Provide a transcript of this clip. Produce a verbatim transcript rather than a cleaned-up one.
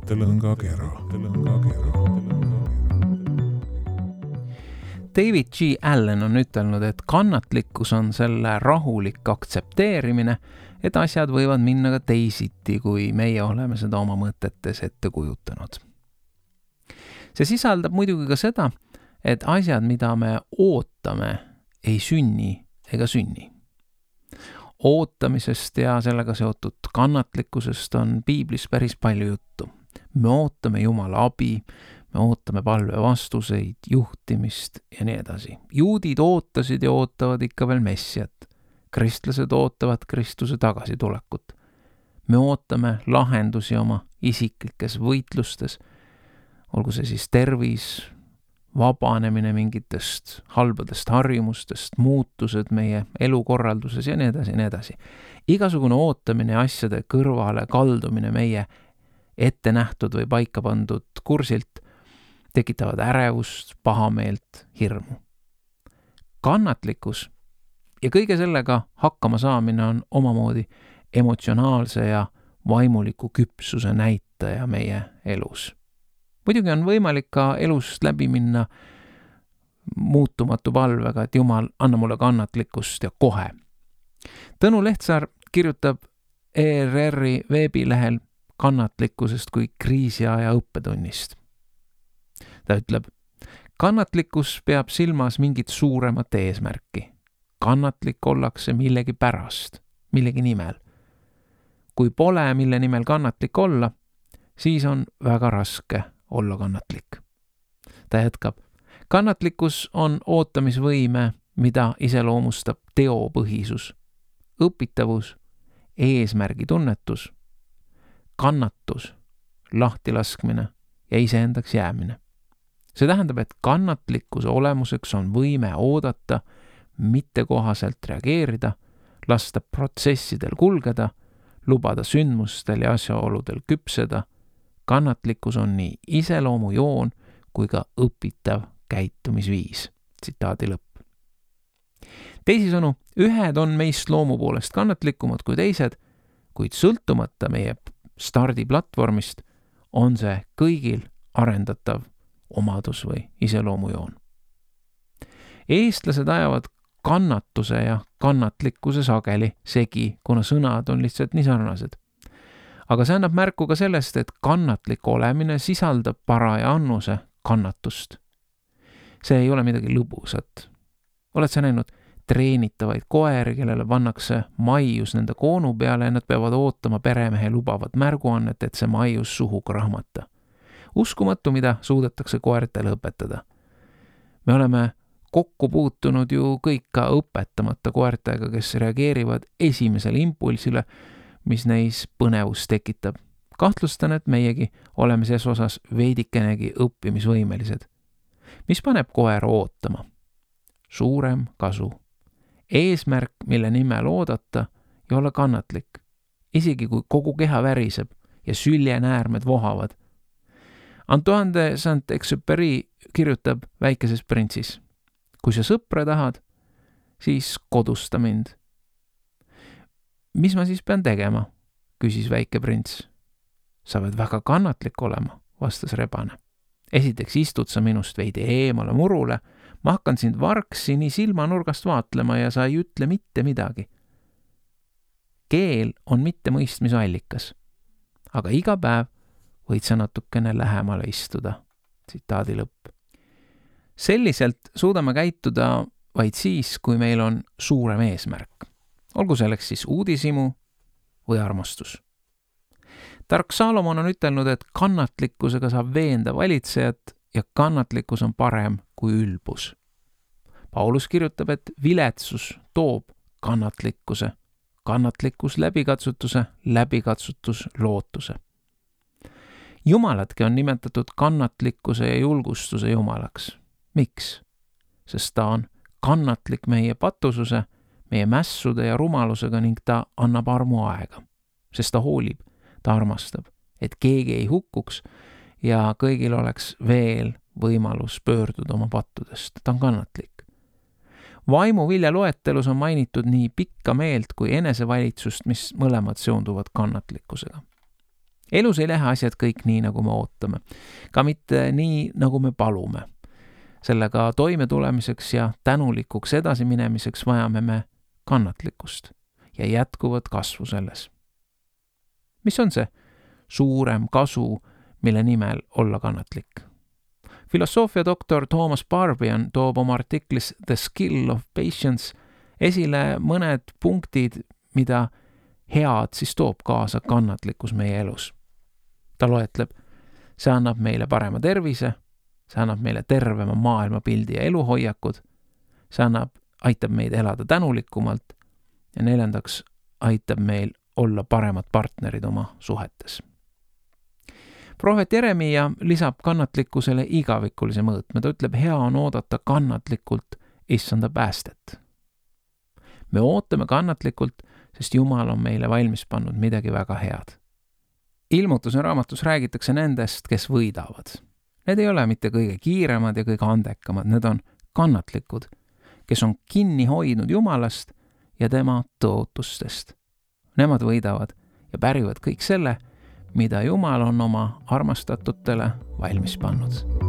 Mõttelõngakera. David G. Allen on ütelnud, et kannatlikkus on selle rahulik aktsepteerimine, et asjad võivad minna ka teisiti, kui meie oleme seda oma mõtetes ette kujutanud. See sisaldab muidugi ka seda, et asjad, mida me ootame, ei sünni ega sünni. Ootamisest ja sellega seotud kannatlikkusest on piiblis päris palju juttu. Me ootame Jumala abi, me ootame palve vastuseid, juhtimist ja nii edasi. Juudid ootasid ja ootavad ikka veel messiat. Kristlased ootavad Kristuse tagasitulekut. Me ootame lahendusi oma isiklikes võitlustes, olgu see siis tervis, vabanemine mingitest halbadest harjumustest, muutused meie elukorralduses ja nii edasi, nii edasi. Igasugune ootamine ja asjade kõrvale kaldumine meie ette nähtud või paika pandud kursilt tekitavad ärevust, pahameelt, hirmu. Kannatlikkus ja kõige sellega hakkama saamine on omamoodi emotsionaalse ja vaimuliku küpsuse näitaja meie elus. Muidugi on võimalik ka elust läbi minna muutumatu palvega, et Jumal, anna mulle kannatlikkust ja kohe. Tõnu Lehtsaar kirjutab E R R-i veebilehel kannatlikkusest kui kriisiaja õppetunnist. Ta ütleb, kannatlikkus peab silmas mingit suuremat eesmärki. Kannatlik ollakse millegi pärast, millegi nimel. Kui pole, mille nimel kannatlik olla, siis on väga raske olla kannatlik. Ta jätkab, kannatlikkus on ootamisvõime, mida iseloomustab teopõhisus, õpitavus, eesmärgitunnetus, kannatus, lahtilaskmine ja iseendaks jäämine. See tähendab, et kannatlikkuse olemuseks on võime oodata, mitte kohaselt reageerida, lasta protsessidel kulgeda, lubada sündmustel ja asjaoludel küpseda. Kannatlikkus on nii iseloomujoon kui ka õpitav käitumisviis. Tsitaadi lõpp. Teisisõnu, ühed on meist loomu poolest kannatlikumad kui teised, kuid sõltumata meie stardiplatvormist on see kõigil arendatav omadus või iseloomujoon. Eestlased ajavad kannatuse ja kannatlikkuse sageli segi, kuna sõnad on lihtsalt nii sarnased. Aga see annab märku ka sellest, et kannatlik olemine sisaldab paraja annuse kannatust. See ei ole midagi lõbusat. Oled sa näinud treenitavaid koeri, kellele pannakse maius nende koonu peale ja nad peavad ootama peremehe lubavat märguannet, et see maius suhu krahmata. Uskumatu, mida suudetakse koertele õpetada. Me oleme kokku puutunud ju kõik ka õpetamata koertega, kes reageerivad esimesele impulsile, mis neis põnevus tekitab. Kahtlustan, et meiegi oleme ses osas veidikenegi õppimisvõimelised. Mis paneb koera ootama? Suurem kasu. Eesmärk, mille nimel oodata ja olla kannatlik. Isegi kui kogu keha väriseb ja süljenäärmed vohavad. Antoine de Saint-Exupéry kirjutab Väikeses printsis. Kui sa sõpra tahad, siis kodusta mind. Mis ma siis pean tegema, küsis väike prints. Sa pead väga kannatlik olema, vastas rebane. Esiteks istud sa minust veidi eemale murule, ma hakkan sind varksi nii silmanurgast vaatlema ja sa ei ütle mitte midagi. Keel on mitte mõistmise allikas, aga iga päev võid sa natukene lähemale istuda. Tsitaadi lõpp. Selliselt suudame käituda vaid siis, kui meil on suurem eesmärk. Olgu selleks siis uudishimu või armastus. Tark Salomon on ütelnud, et kannatlikkusega saab veenda valitsejat ja kannatlikkus on parem kui ülbus. Paulus kirjutab, et viletsus toob kannatlikkuse, kannatlikkus läbikatsutuse, läbikatsutus lootuse. Jumalatki on nimetatud kannatlikkuse ja julgustuse jumalaks. Miks? Sest ta on kannatlik meie patususe, meie mässude ja rumalusega ning ta annab armu aega. Sest ta hoolib, ta armastab, et keegi ei hukkuks ja kõigil oleks veel võimalus pöörduda oma pattudest. Ta on kannatlik. Vaimu vilja loetelus on mainitud nii pikka meelt kui enesevalitsust, mis mõlemad seonduvad kannatlikkusega. elus ei lähe asjad kõik nii, nagu me ootame. Ka mitte nii, nagu me palume. Sellega toime tulemiseks ja tänulikuks edasi minemiseks vajame me kannatlikkust ja jätkuvat kasvu selles. Mis on see suurem kasu, mille nimel olla kannatlik? Filosoofia doktor Thomas Barbian toob oma artiklis The Skill of Patience esile mõned punktid, mida head siis toob kaasa kannatlikkus meie elus. Ta loetleb, see annab meile parema tervise, see annab meile tervema maailmapildi ja eluhoiakud, see annab, aitab meid elada tänulikumalt ja neljandaks aitab meil olla paremad partnerid oma suhetes. Prohvet Jeremia lisab kannatlikkusele igavikulise mõõtme. Ta ütleb, hea on oodata kannatlikult issanda päästet. Me ootame kannatlikult, sest Jumal on meile valmis pannud midagi väga head. Ilmutuse raamatus räägitakse nendest, kes võidavad. Need ei ole mitte kõige kiiremad ja kõige andekamad, need on kannatlikud, kes on kinni hoidnud Jumalast ja tema tõotustest. Nemad võidavad ja pärivad kõik selle, mida Jumal on oma armastatutele valmis pannud.